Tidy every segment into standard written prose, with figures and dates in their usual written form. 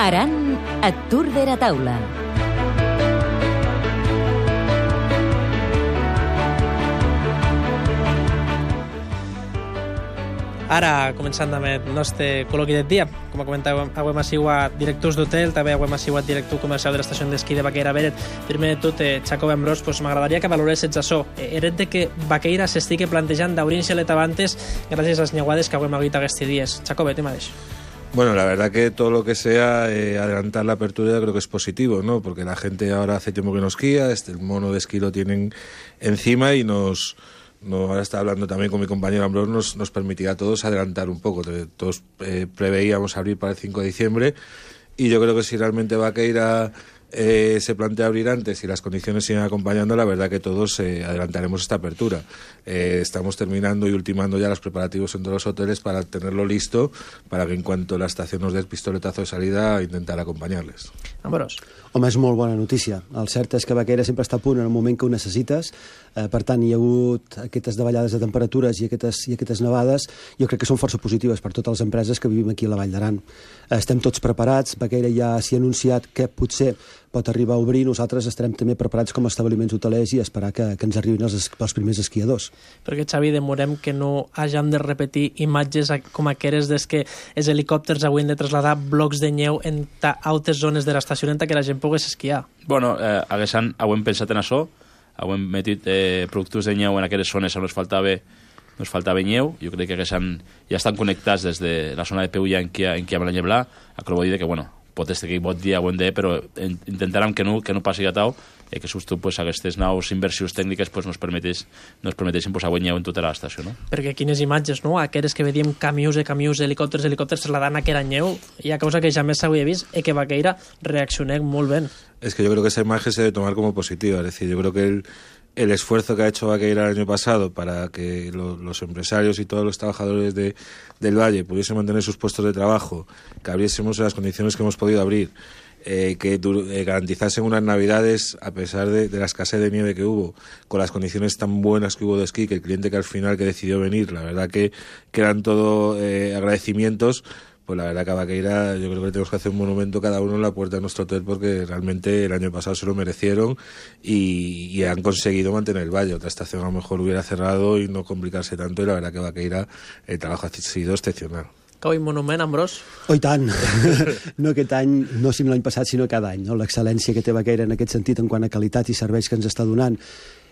Aran a Tour de la Taula. Ara, començant amb el nostre col·loqui del dia. Com comentàvem, avui sigut directors d'hotel, també avui sigut director comercial de l'estació d'esquí de Baqueira Beret. Primer de tot, Jacob Ambrós, m'agradaria que valoréssim això. Eret de que Baqueira s'estigui plantejant d'obrir-se l'etabantes gràcies a les niuades que avui hem hagut aquests dies. Jacob, te mateix. Bueno, la verdad que todo lo que sea adelantar la apertura yo creo que es positivo, ¿no? Porque la gente ahora hace tiempo que no esquía, el mono de esquí lo tienen encima y ahora está hablando también con mi compañero Ambrós, nos permitirá a todos adelantar un poco. Todos preveíamos abrir para el 5 de diciembre y yo creo que si realmente Baqueira se plantea abrir antes y las condiciones siguen acompañando, la verdad que todos adelantaremos esta apertura. Estamos terminando y ultimando ya los preparativos en todos los hoteles para tenerlo listo, para que en cuanto la estación nos dé el pistoletazo de salida, intentar acompanyar-les. Ambrós. Home, és molt bona notícia. El cert és que Baqueira sempre està a punt en el moment que ho necessites. Per tant, hi ha hagut aquestes davallades de temperatures i aquestes nevades. Jo crec que són força positives per totes les empreses que vivim aquí a la Vall d'Aran. Estem tots preparats. Baqueira ja s'hi ha anunciat que potser pot arribar a obrir. Nosaltres estarem també preparats com a establiments hotelers i esperar que ens arribin els primers esquiadors. Perquè, Xavi, demorem que no hagin de repetir imatges com aquelles des que els helicòpters avui han de traslladar blocs de neu en altres zones de l'estació en què la gent pogués esquiar. Bueno, hem pensat en això, hem metit productes de neu en aquelles zones on ens faltava neu. Jo crec que ja estan connectats des de la zona de Peulla en què amb la Lleblà, a que vol dir que, bueno, pot ser que pot dia o en dia, però intentarem que no passi a tau, que justo aquestes nous inversions tècniques nos permetessin posar neu en tota l'estació. Perquè quines imatges, no? Aquelles que vedíem camions, helicòpters trasladant aquella neu, hi ha cosa que jamais s'havia vist i que Baqueira reaccioné molt bé. Es que yo creo que esa imagen se debe tomar como positiva, es decir, yo creo que el esfuerzo que ha hecho Baqueira el año pasado para que los empresarios y todos los trabajadores del Valle pudiesen mantener sus puestos de trabajo, que abriésemos en las condiciones que hemos podido abrir, que garantizasen unas navidades a pesar de la escasez de nieve que hubo, con las condiciones tan buenas que hubo de esquí, que el cliente que al final que decidió venir, la verdad que eran todo agradecimientos. Pues la verdad que a Baqueira yo creo que tenemos que hacer un monumento cada uno en la puerta de nuestro hotel, porque realmente el año pasado se lo merecieron y han conseguido mantener el valle. Otra estación a lo mejor hubiera cerrado y no complicarse tanto, y la verdad que Baqueira el trabajo ha sido excepcional. Cau monument, Ambrós? Oh, i tant! No aquest any, no si l'any passat, sinó cada any. No? L'excel·lència que té Baqueira en aquest sentit en quant a qualitat i serveis que ens està donant.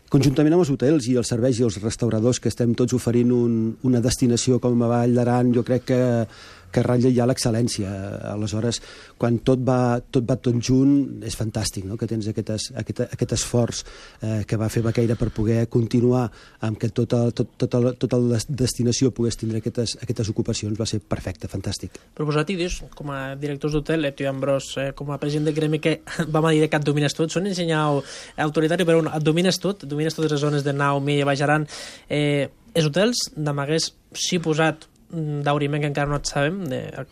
Conjuntament amb els hotels i els serveis i els restauradors, que estem tots oferint una destinació com a Vall d'Aran, jo crec que ratlla ja l'excel·lència. Aleshores, quan tot va tot junt, és fantàstic, no? Que tens aquest esforç que va fer Baqueira per poder continuar amb que tota la destinació pogués tindre aquestes ocupacions. Va ser perfecte, fantàstic. Però vosaltres, com a directors d'hotel, tu i Ambrós, com a president del gremi, que vam a dir que et domines tot, són ensenyau autoritari, però et domines tot, domines totes les zones de Nau, Milla, Baix Aran. Els hotels d'amagués s'hi posat d'auriment, que encara no et sabem,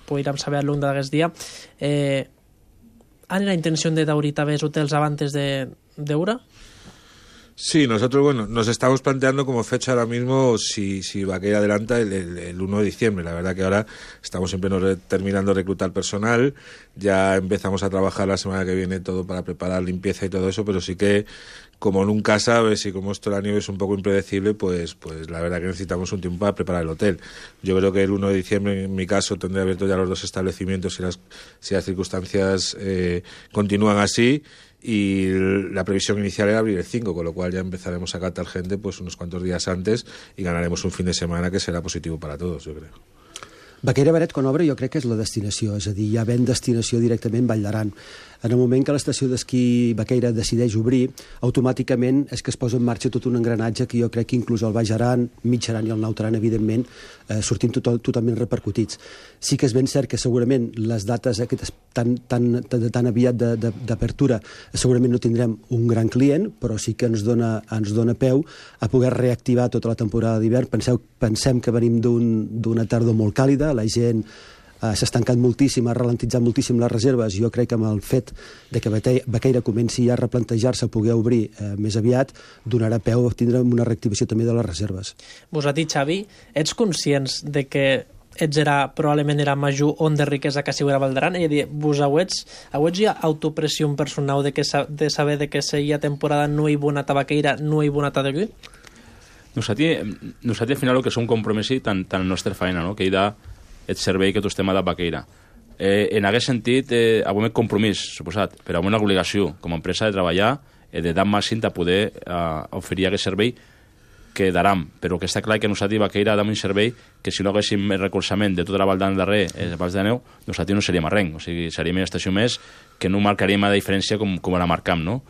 podríem saber a l'un d'aquest dia. ¿Han la intención de daurir també els hotels antes de hora? Sí, nosotros, nos estamos planteando como fecha ahora mismo si Baqueira adelanta el 1 de diciembre. La verdad que ahora estamos siempre terminando de reclutar personal, ya empezamos a trabajar la semana que viene todo para preparar limpieza y todo eso, pero sí que como nunca sabes y como esto la nieve es un poco impredecible, pues la verdad que necesitamos un tiempo para preparar el hotel. Yo creo que el 1 de diciembre, en mi caso, tendré abierto ya los 2 establecimientos si las circunstancias continúan así. Y la previsión inicial era abrir el 5, con lo cual ya empezaremos a captar gente pues unos cuantos días antes y ganaremos un fin de semana que será positivo para todos, yo creo. Baqueira Beret, quan obre, jo crec que és la destinació, és a dir, ja ven destinació directament Vall d'Aran. En el moment que l'estació d'esquí Baqueira decideix obrir, automàticament és que es posa en marxa tot un engranatge que jo crec que inclús el Baix Aran, Mig Aran i el Naut Aran, evidentment, sortim totalment repercutits. Sí que és ben cert que segurament les dates aquestes tan aviat d'apertura segurament no tindrem un gran client, però sí que ens dona peu a poder reactivar tota la temporada d'hivern. Pensem que venim d'una tardor molt càlida, la gent s'ha estancat moltíssim, ha ralentitzat moltíssim les reserves. Jo crec que amb el fet de que Baqueira comenci a replantejar-se poder obrir més aviat, donarà peu a tindre una reactivació també de les reserves. Vosaltres, Xavi, ets conscients de que probablement era major on de riquesa que sigue a Valdaran, i dir, vos auets hi ha autopressió personal de saber de que seguia temporada no hi bona tabaqueira, no hi bona tabaqueira? Nosaltres al final el que és un compromís tant en la nostra feina, no? Que hi ha el servei que tu estem a la vaqueira. En aquest sentit, avui un compromís, suposat, però avui una obligació com a empresa de treballar, de dar màxim de poder oferir aquest servei que daram, però que està clar que nosaltres vaqueira dam un servei que si no haguéssim el recolzament de tota la Valdan darrer, els Vals de Neu, nosaltres no seríem arrenc, o sigui, seríem una estació més que no marcaríem la diferència com la marcam, no?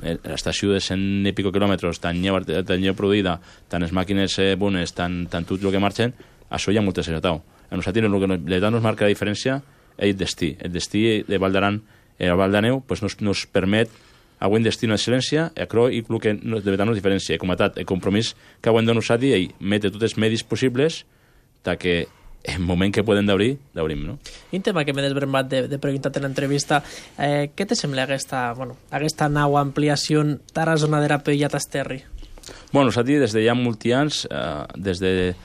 L'estació de 100 i pico quilòmetres, tan lleu produïda, tant les màquines bones, tant tot el que marxen, això hi ha molt desagradable. A nosaltres el que nos marca la diferència és el destí. El destí de Valdaran, el Val de Neu, pues nos permet avui un destí d'excel·lència, i el que de veritat nos diferència, com a tal, el compromís que avui de nosaltres és metre tots els medis possibles que en el moment que podem d'obrim, no? I un tema que m'he desbrembat de preguntar-te en l'entrevista, què te sembla aquesta nau ampliació d'ara zona de Rapella a Tasterri? Bueno, nosaltres des de ja molts anys, des de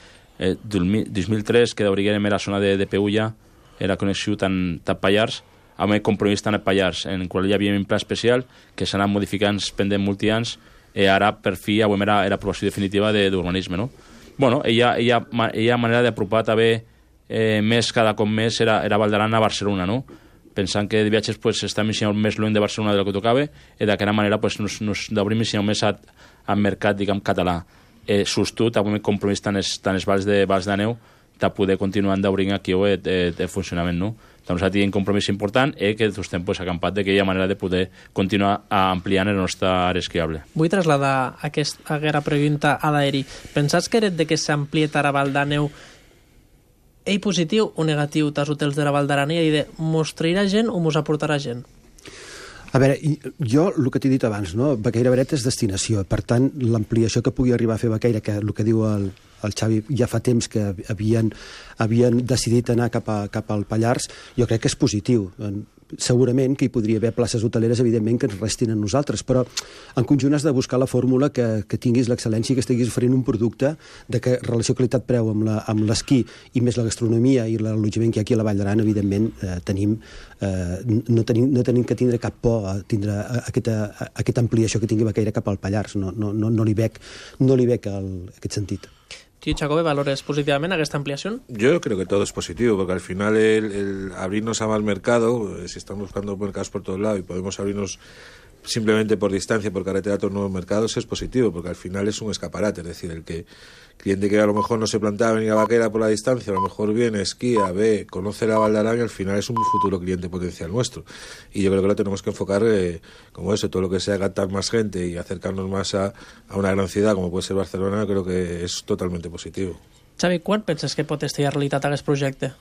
2003, que d'obriguem la zona de Peulla, era connexió tant Pallars, amb el compromís tant a Pallars, en el qual hi havia un pla especial que s'ha anat modificant pendent molts anys, i ara per fi era aprovació definitiva d'urbanisme, no? Bueno, hi ha manera d'apropar també més cada cop més era Valdaran a Barcelona, no? Pensant que de viatges pues, estem més lluny de Barcelona del que tocava, i d'aquesta manera pues, nos d'obrim més al mercat, diguem, català. Sostut, amb un compromís tant els Vals de Neu, de poder continuar d'obrir aquí el funcionament, no? Doncs ha tingut un compromís important i que estem pues, acampat de que hi ha manera de poder continuar ampliant la nostra àrea esquiable. Vull traslladar aquesta pregunta a l'aeri. Pensats que de que s'amplie a Val de Neu és positiu o negatiu als hotels de la Val d'Aran i de mostrarà gent o mos aportarà gent? A veure, jo el que t'he dit abans, no? Baqueira Beret és destinació, per tant, l'ampliació que pugui arribar a fer Baqueira, que el que diu el Xavi ja fa temps que havien decidit anar cap al Pallars, jo crec que és positiu. Segurament que hi podria haver places hoteleres, evidentment, que ens restin a nosaltres, però en conjunt has de buscar la fórmula que tinguis l'excel·lència i que estiguis oferint un producte de que relació qualitat-preu amb l'esquí i més la gastronomia i l'allotjament que hi ha aquí a la Vall d'Aran, evidentment, no tenim que tindre cap por a tindre aquesta ampliació que tingui Baqueira cap al Pallars. No li veig aquest sentit. ¿Tú, Jacobe, valores positivamente a esta ampliación? Yo creo que todo es positivo, porque al final el abrirnos a más mercado, si estamos buscando mercados por todos lados y podemos abrirnos simplemente por distancia, por carretera a otros nuevos mercados, es positivo, porque al final es un escaparate. Es decir, el cliente que a lo mejor no se plantea venir a Baqueira por la distancia, a lo mejor viene, esquía, ve, conoce la Val d'Aran y al final es un futuro cliente potencial nuestro. Y yo creo que lo tenemos que enfocar como eso, todo lo que sea captar más gente y acercarnos más a una gran ciudad como puede ser Barcelona, creo que és totalmente positivo. Xavi, quan penses que pot estar realitat aquest projecte?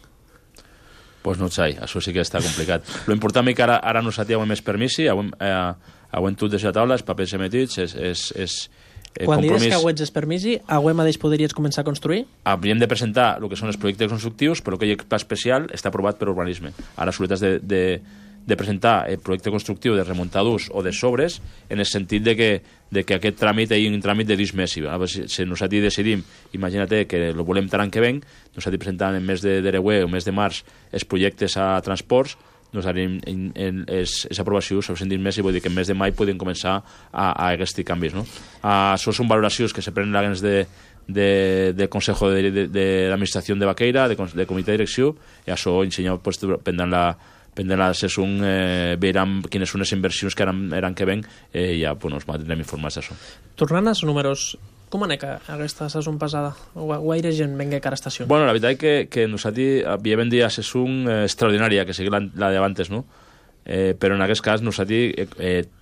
Pues no, Xai, això sí que està complicat. Lo important és que ara no s'atia més permisi, avui tot de la taula, els papers emetits, és quan compromís. dius que avui és permisi, avui mateix podries començar a construir? Hauríem de presentar el que són els projectes constructius, però aquell pla especial està aprovat per urbanisme. Ara sols has de presentar el projecte constructiu de remuntadors o de sobres en el sentit de que aquest tràmit és un tràmit de 10 mesos. Si nosaltres decidim, imagina't que el volem tant que venc, nosaltres presentant en mes d'Ereuer o mes de març els projectes a transports, nosaltres és aprovació sobre 110 mesos, i vull dir que en mes de maig podem començar a aquests canvis. No? Això són valoracions que se prenen dins del Consejo d'Administració de Baqueira, de comitè de direcció, i això ensenyat pendent la sessió, veurem quines són les inversions que eren que ven, i ja ens mantindrem informats d'això. Tornant als números, com anava aquesta sessió passada? Guaire gent venga a cada estació? Bueno, la veritat és que nosaltres havíem vendit a sessió extraordinària, que sigui la d'abans, no? Però en aquest cas nosaltres,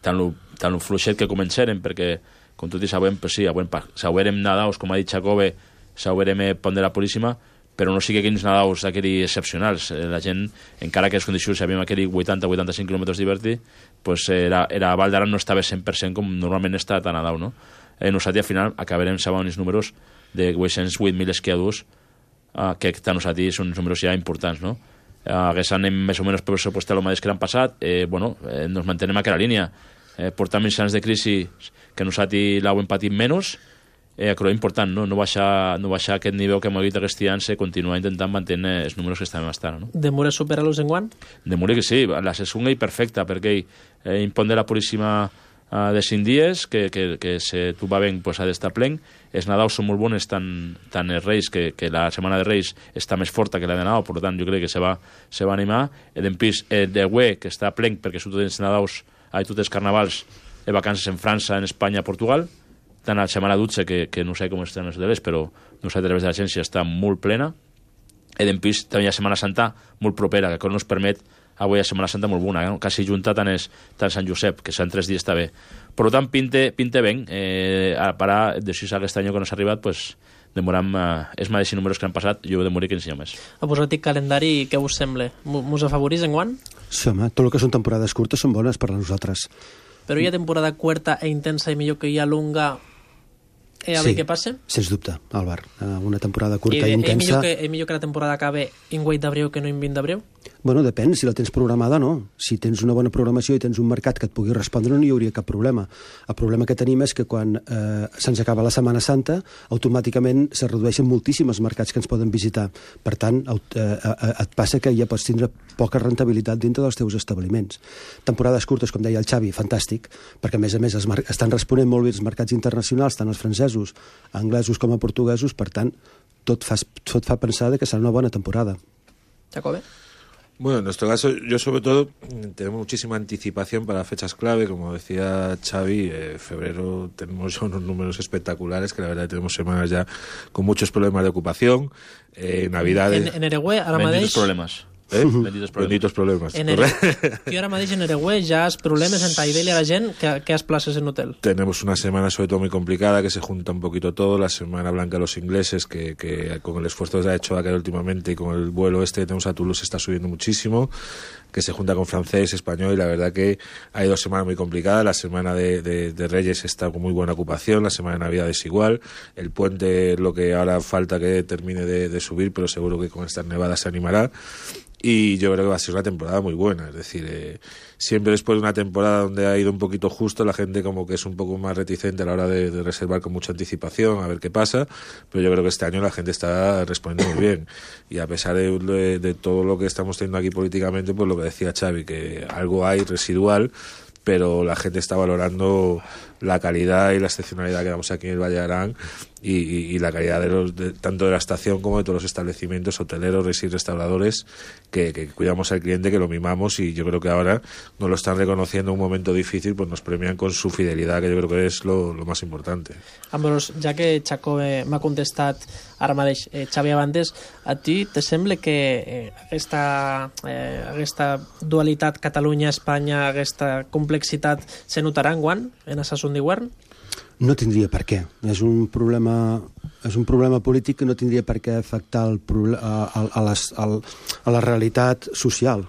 tant el fluixet que començarem, perquè, com tots sabem, pues sí, s'haurem nadaus, com ha dit Jacobe, s'haurem pont de la Puríssima, però no sigui aquells nadaus aquells excepcionals. La gent, encara que les condicions sabíem aquells 80-85 quilòmetres d'hiverti, pues a Val d'Aran no estava 100% com normalment està a Nadau, no? Nosaltres al final acabarem sabent els números de 808.000 esquiadors, que a nosaltres són uns números ja importants, no? Hagués anem més o menys pressupostat el mateix que l'any passat, ens mantenem a aquella línia. Portam els anys de crisi que nosaltres l'hem patit menys, però important, no baixar aquest nivell que hem dit aquest any, continuar intentant mantenir els números que estem estant. No? Demura superar-los enguany? Demura que sí, la segona és perfecta, perquè impon de la Puríssima de 5 dies, que si tu va ben pues, ha d'estar plen. Els Nadaus són molt bones, tant els Reis, que la setmana de Reis està més forta que la de Nadal, per tant jo crec que se va animar. En pis de Güé, que està plen, perquè són tots els Nadaus, tots els carnavals, de vacances en França, en Espanya, Portugal, tant a la setmana Dutxe, que no sé com estan els hotelers, però no sé, a través de l'agència està molt plena. En pis també hi ha Setmana Santa molt propera, que no ens permet avui a Setmana Santa molt bona, no? Quasi junta tant Sant Josep, que seran 3 dies està bé. Per tant, pinte ben, a parar de 6 aquest any que no s'ha arribat, pues, demoram els mateixos números que han passat, jo demoré 15 anys més. A posar-hi calendari, què us sembla? Mos afavorís enguany? Sí, home, tot el que són temporades curtes són bones per a nosaltres. Però hi ha temporada curta e intensa i millor que hi ha longa a veure què passa? Sens dubte, Álvar. Una temporada curta i intensa... Millor que la temporada acabe en 8 d'abril que no en 20 d'abril? Bueno, depèn, si la tens programada no. Si tens una bona programació i tens un mercat que et pugui respondre, no hi hauria cap problema. El problema que tenim és que quan se'ns acaba la Setmana Santa, automàticament se redueixen moltíssim els mercats que ens poden visitar. Per tant, et passa que ja pots tindre poca rentabilitat dintre dels teus establiments. Temporades curtes, com deia el Xavi, fantàstic, perquè a més estan responent molt bé els mercats internacionals, tant els francesos, anglesos com a portuguesos, per tant, tot fa pensar que serà una bona temporada. Jacobe? Bueno, en nuestro caso, yo sobre todo tenemos muchísima anticipación para fechas clave, como decía Xavi, febrero tenemos ya unos números espectaculares, que la verdad tenemos semanas ya con muchos problemas de ocupación, Navidades... En Eregüe, ara mateix... problemes. Benditos problemas. Que ahora mateix en Eregüe ja has problemes en Taidell a la gent que has places en hotel. Tenemos una semana sobre todo muy complicada, que se junta un poquito todo, la semana blanca de los ingleses, que con el esfuerzo que se ha hecho acá últimamente y con el vuelo que tenemos a Toulouse está subiendo muchísimo, que se junta con francés, español, y la verdad que hay 2 semanas muy complicadas. La semana de Reyes está con muy buena ocupación, la semana de Navidad es igual, el puente lo que ahora falta que termine de subir, pero seguro que con estas nevadas se animará. Y yo creo que va a ser una temporada muy buena, es decir, siempre después de una temporada donde ha ido un poquito justo, la gente como que es un poco más reticente a la hora de reservar con mucha anticipación, a ver qué pasa, pero yo creo que este año la gente está respondiendo muy bien, y a pesar de todo lo que estamos teniendo aquí políticamente, pues lo que decía Xavi, que algo hay residual, pero la gente está valorando la calidad y la excepcionalidad que damos aquí en el Valle de Arán y la calidad tanto de la estación como de todos los establecimientos hoteleros y restauradores que cuidamos al cliente, que lo mimamos, y yo creo que ahora nos lo están reconociendo en un momento difícil, pues nos premian con su fidelidad, que yo creo que es lo más importante. Ambrós, ja que Jacobe m'ha contestat ara mateix, Xavi Abantes, a ti te sembla que aquesta dualitat Catalunya-Espanya, aquesta complexitat se notarà enguany en la Sason d'hivern? No tindria per què. És un problema polític que no tindria per què afectar a la realitat social.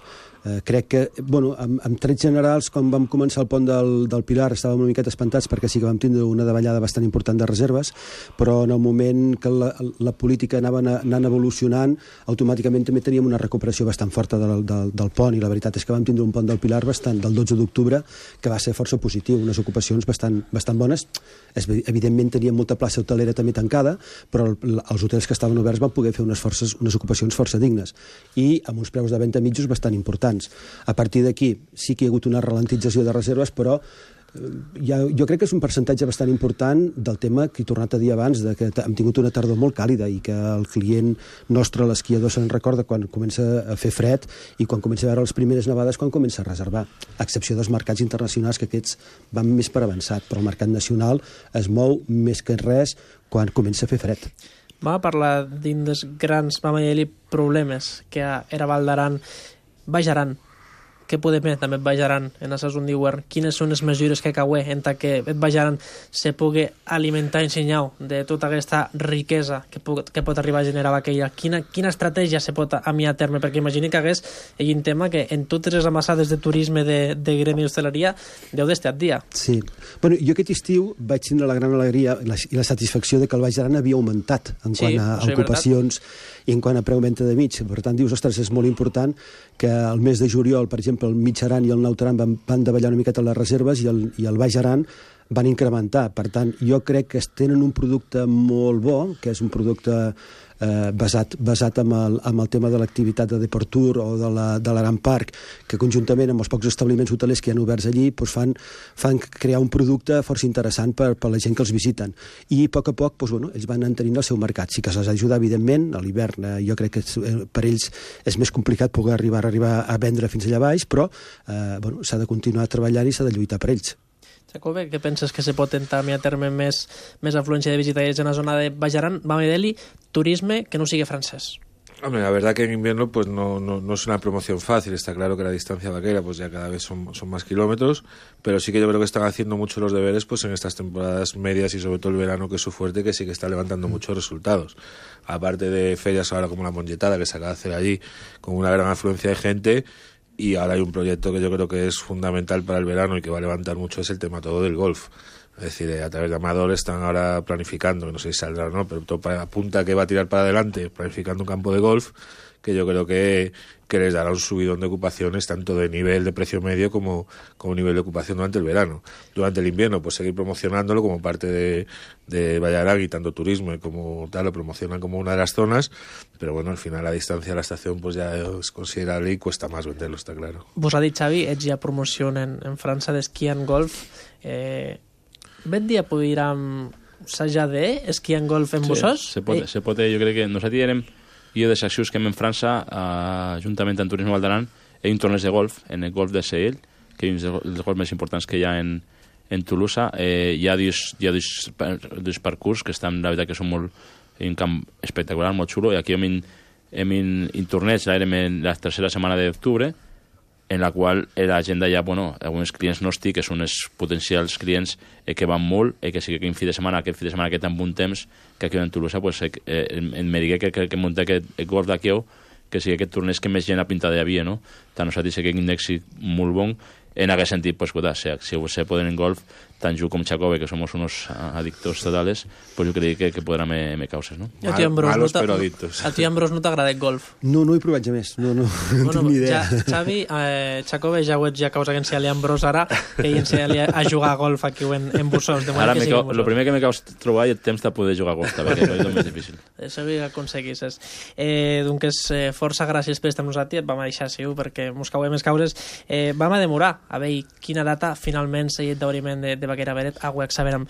Crec que, bueno, en trets generals, quan vam començar el pont del Pilar estàvem una miqueta espantats perquè sí que vam tindre una davallada bastant important de reserves, però en el moment que la política anava anant evolucionant, automàticament també teníem una recuperació bastant forta del pont, i la veritat és que vam tindre un pont del Pilar del 12 d'octubre que va ser força positiu, unes ocupacions bastant bones. Evidentment teníem molta plaça hotelera també tancada, però els hotels que estaven oberts van poder fer unes ocupacions força dignes i amb uns preus de venda mitjos bastant importants. A partir d'aquí sí que hi ha hagut una ralentització de reserves, però jo crec que és un percentatge bastant important del tema que he tornat a dir abans, que hem tingut una tardor molt càlida i que el client nostre, l'esquiador, se'n recorda quan comença a fer fred i quan comença a veure les primeres nevades, quan comença a reservar, a excepció dels mercats internacionals, que aquests van més per avançat, però el mercat nacional es mou més que res quan comença a fer fred. Vam parlar d'un dels grans, vam dir, problemes que era Val d'Aran, Baix Aran. Què podem fer també Baix Aran en la Sason d'hivern? Quines són les mesures que caué en que Baix Aran se pugui alimentar en senyal de tota aquesta riquesa que pot arribar a generar aquella? Quina estratègia se pot amiar a terme? Perquè imagini que hagués un tema que en totes les amassades de turisme de gremi d'hostaleria deu d'estar dia. Sí. Bueno, jo aquest estiu vaig tindre la gran alegria i la satisfacció de que el Baix Aran havia augmentat en quant a ocupacions i en quant a preu-venta de mig. Per tant, dius, ostres, és molt important que el mes de juliol, per exemple, el Mig Aran i el Naut Aran van davallar una miqueta les reserves i el Baix Aran van incrementar. Per tant, jo crec que tenen un producte molt bo, que és un producte basat en el tema de l'activitat de Deportur o de l'Aran Park, que conjuntament amb els pocs establiments hotelers que hi ha oberts allí fan crear un producte força interessant per la gent que els visiten. I a poc ells van entenint el seu mercat. Sí que se'ls ajuda, evidentment, a l'hivern jo crec que per ells és més complicat poder arribar a vendre fins allà baix, però s'ha de continuar treballant i s'ha de lluitar per ells. Jacobe, què penses que se pot entrar a terme més afluència de visitaires en la zona de Baix Aran? Vam a dir-li turisme que no sigui francés. Hombre, la verdad que en invierno pues no es una promoción fácil. Está claro que la distancia vaquera pues ya cada vez son más kilómetros, pero sí que yo creo que están haciendo mucho los deberes pues en estas temporadas medias y sobre todo el verano, que es su fuerte, que sí que está levantando muchos resultados. Aparte de ferias ahora como la Mongetada, que se acaba de hacer allí con una gran afluencia de gente, y ahora hay un proyecto que yo creo que es fundamental para el verano y que va a levantar mucho, es el tema todo del golf. Es decir, a través de Amador están ahora planificando, que no sé si saldrá o no, pero todo apunta que va a tirar para adelante, planificando un campo de golf, que yo creo que les dará un subidón de ocupaciones, tanto de nivel de precio medio como nivel de ocupación durante el verano. Durante el invierno, pues seguir promocionándolo como parte de Vallarán, y tanto turismo como tal lo promocionan como una de las zonas, pero bueno, al final la distancia a la estación pues ya es considerable y cuesta más venderlo, está claro. Vos ha dit, Xavi, ets ja promoció en França d'esquí en golf. Ben dia podríem assajar d'esquí en golf en Bossós? Se pot, jo crec que nosaltres érem de les accions que hem en França, juntament amb Turisme Val d'Aran, hi ha un torneig de golf, en el golf de Sehel, que és un dels golfs més importants que hi ha en Tolosa. Hi ha dos parcours que estan, la veritat, que són un camp espectacular, molt xulo, i aquí hem un torneig, érem en la tercera setmana d'octubre, en la qual l'agenda ja, alguns clients nostres, que són els potencials clients que van molt, que sí que aquest fi de setmana que tan bon temps, que aquí en Tolosa, me digué que munta aquest golf d'aquí, que sí que aquest torneig que més gent ha pintat d'havia, no? Tant nosaltres que un èxit molt bon, en aquest sentit, si se poden en golf, tant jo com Jacobe, que somos unos adictos totales, jo crec que podrà me causes, no? Malos però adictos. A tu, Ambrós, no t'agrada el golf? No hi provem més, no tinc ni idea. Xavi, Jacobe, ja ho ets, ja causa que ensenyar-li a Ambrós ara, que ell ensenyar-li a jugar a golf aquí en Bossós. Ara, el primer que me caus trobar és el temps de poder jugar a golf, també, que és el més difícil. Això ho aconseguisses. Doncs força gràcies per estar amb nosaltres, vam a deixar perquè mos cauen més causes. Vam a demorar a veure quina data finalment s'ha dit d'obriment de Baquera Beret, agüec saberem.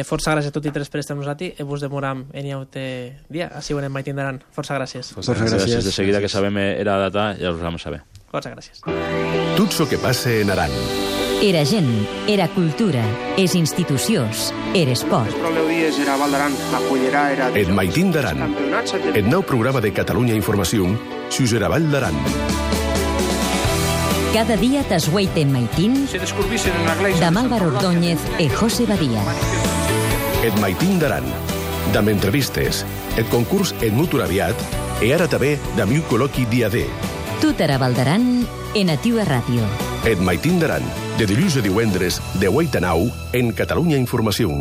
Força gràcies a tots i tres per estar amb nosaltres, vos demoram en iaute dia, així ho anem mai tindran. Força gràcies. Força gràcies. De seguida que sabem la data, ja us vam saber. Força gràcies. Tot el que passa en Aran. Era gent, era cultura, és institucions, era esport. Et Maitín d'Aran. El nou programa de Catalunya Informació, Xusera Vall d'Aran. Cada día t'esgueite en Maitín, de Álvaro Ordóñez e José Badía. Et Maitín d'Aran, d'amb entrevistes, el concurs et mutur aviat, e ara també d'amb un col·loqui dia D. Tot era Val d'Aran en Ativa Ràdio. Et Maitín d'Aran, de dilluns a divendres, de 8 a 9, en Catalunya Informació.